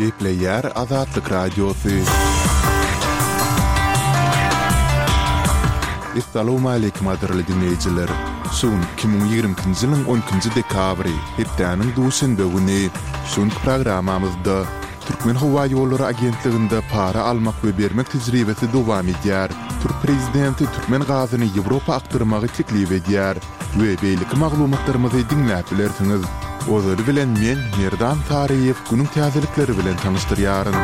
Gepleýär Azatlyk Radiosy. Essalawmaleýkim gadyrly diňleýjiler! Şu gün 2022-nji ýylyň on ikinji dekabry, hepdäniň duşenbe güni. Şu günki programmamyzda Türkmenhowaýollary agentliginde para almak we bermek tejribesi dowam edýär. Türk prezidenti türkmen gazyny Ýewropa akdyrmagy teklip edýär we beýleki maglumatlarymyzy diňläp bilersiňiz. Ozaly bilen men, Merdan Saryýew günüň täzelikleri bilen tanyşdyrýaryn.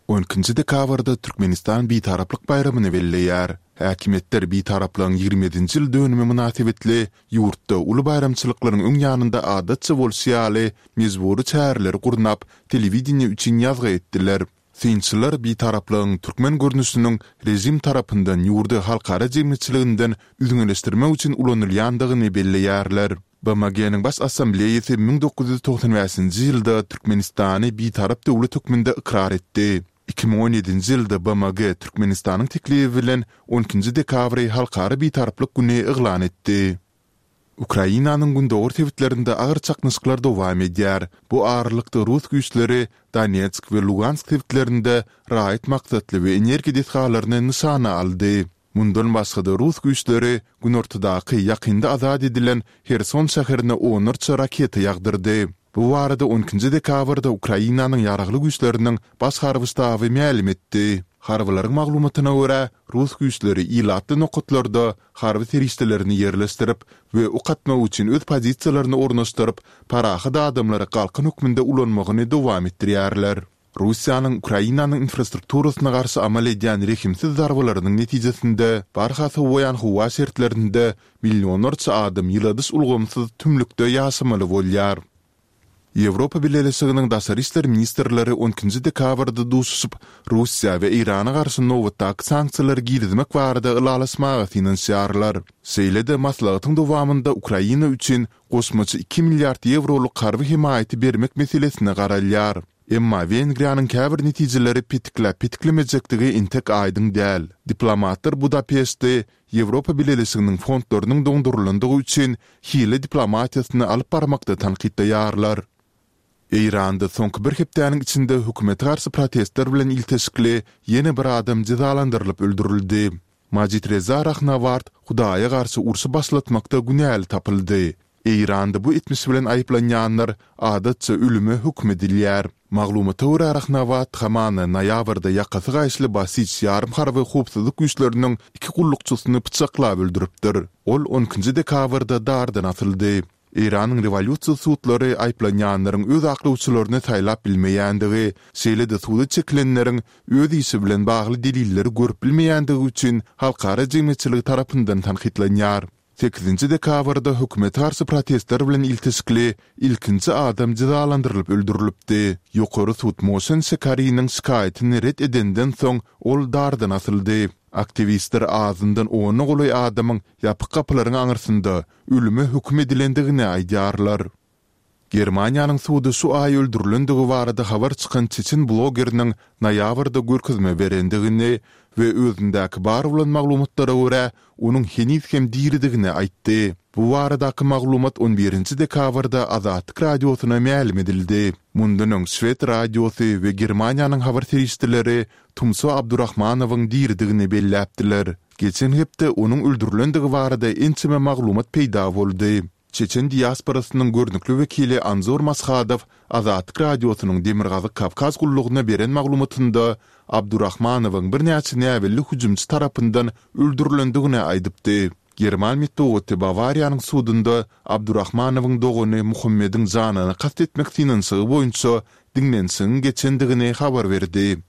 On ikinji dekabrda Türkmenistan Bitaraplyk baýramyny belleýär. Häkimiýetler Bitaraplygyň 27-nji ýyl dönümi mynasybetli Ýurtda uly baýramçylyklaryň öň ýanynda adatça bolşy ýaly, mejbury çäreleri gurnap, telewideniýe üçin ýazgy etdiler. Synçylar bitaraplygyň türkmen görnüşiniň režim tarapyndan ýurdy halkara jemgyýetçiliginden üzňeleşdirmek üçin ulanylýandygyny belleýärler. BMG-niň Baş Assambleýasy 1995-nji ýylda Türkmenistany bitarap döwlet hökmünde ykrar etdi. 2017-nji ýylda BMG Türkmenistanyň teklibi bilen on ikinji dekabry Halkara Bitaraplyk güni yglan etdi. Ukrainanyň gündogar sebitlerinde agyr çaknyşyklar dowam edýär. Bu aralykda rus güýçleri Donetsk we Lugansk sebitlerinde raýat maksatly we energiýa desgalaryny nyşana aldy. Mundan başga-da rus güýçleri günortadaky ýakynda azat edilen Herson şäherine onlarça raketa ýagdyrdy. Bu barada on ikinji dekabrda Ukrainanyň Ýaragly Güýçleriniň Baş harby ştaby mälim etdi. Harbylaryň maglumatyna görä, rus güýçleri ilatly nokatlarda harby serişdelerini ýerleşdirip we ok atmak üçin öz pozisiýalaryny ornaşdyryp, parahat adamlary galkan hökmünde ulanmagyny dowam etdirýärler. Russiýanyň Ukrainanyň infrastrukturasyna garşy amal edýän rehimsiz zarbalarynyň netijesinde, barha sowaýan howa şertlerinde millionlarça adam ýyladyş ulgamsyz tümlükde ýaşamaly bolýar. Ýewropa Bileleşiginiň daşary işler ministrleri on ikinji dekabrda duşuşyp, Russiýa we Eýrana garşy nobatdaky sanksiýalary girizmek barada ylalaşmaga synanyşýarlar. Şeýle-de maslahatyň dowamynda Ukraina üçin goşmaça iki milliard ýewrolyk harby hemaýaty bermek meselesine garalýar. Emma Wengriýanyň käbir netijeleri petikläp-petiklemejekdigi entek aýdyň däl. Diplomatlar Budapeşti Ýewropa Bileleşiginiň fondlarynyň doňdurylandygy üçin hile diplomatiýasyny alyp barmakda tankytlaýarlar. Eýranda soňky bir hepdäniň içinde hökümete garşy protestler bilen ilteşikli ýene bir adam jezalandyrylyp öldürildi. Majid Reza Rahnaward Hudaýa garşy urşy başlatmakda günäli tapyldy. Eýranda bu etmiş bilen aýyplanýanlar adatça ölüme höküm edilýär. Maglumata görä Rahnaward hamana noýabrda ýakasy gaýyşly Basij ýarym harby howpsuzlyk güýçleriniň iki gullukçysyny pyçaklap öldüripdir. Ol on ikinji dekabrda dardan asyldy. Eýranyň rewolýusiýa sudlary aýyplanýanlaryň öz aklawçylaryny saýlap bilmeýändigi, şeýle-de suda çekilenleriň öz işi bilen bagly delilleri görüp bilmeýändigi üçin halkara jemgyýetçiligi tarapyndan tankytlanýar. Sekizinji dekabrda hökümete garşy protestler bilen ilteşikli ilkinji adam jezalandyrylyp öldürilipdi. Ýokary sud Moşen Şekariniň şikaýatyny ret edenden soň ol dardan asyldy. Aktiwistler azyndan ona golaý adamyň ýapyk gapylaryň aňyrsynda ölüme höküm edilendigini aýdýarlar. Germaniýanyň sudy şu aý öldürilendigi barada habar çykan çeçen blogeriniň noýabrda görkezme berendigini we özündäki bar bolan maglumatlara görä, onuň heniz hem diridigini aýtdy. Bu baradaky maglumat on birinji dekabrda Azatlyk Radiosyna mälim edildi. Mundan öň şwed radiosy we Germaniýanyň habar serişdeleri Tumso Abdurahmanowyň diridigini belläpdiler. Geçen hepde onuň öldürilendigi barada ençeme maglumat peýda boldy. Çeçen diasporasynyň görnükli wekili Anzor Mashadow Azatlyk Radiosynyň Demirgazyk Kawkaz gullugyna beren maglumatynda Abdurahmanowyň birnäçe näbelli hüjümçi tarapyndan öldürilendigini aýdypdy. German metbugaty Bawariýanyň sudunda Abdurahmanowyň dogany Muhammediň janyna kast etmek synanyşygy boýunça diňlenişigiň geçendigini habar berdi.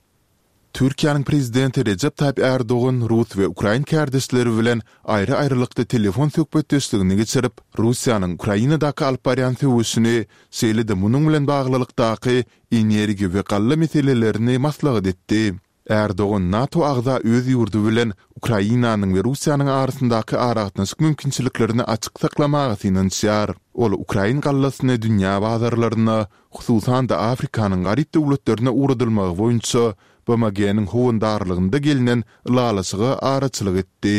Türkiýäniň Prezidenti Rejep Taýyp Ärdogan rus we ukrain kärdeşleri bilen aýry-aýrylykda telefon söhbetdeşligini geçirip, Russiýanyň Ukrainadaky alyp barýan söweşini, şeýle-de munuň bilen baglylykdaky energiýa we galla meselelerini maslahat etdi. Ärdogan NATO agza öz ýurdy bilen Ukrainanyň we Russiýanyň arasyndaky aragatnaşyk mümkinçiliklerini açyk saklamaga synanyşýar. Ol ukrain gallasyny dünýä bazarlaryna, hususan-da Afrikanyň garyp döwletlerine ugradylmagy boýunça BMG-niň howandarlygynda gelnen ylalaşyga araçylyk etdi.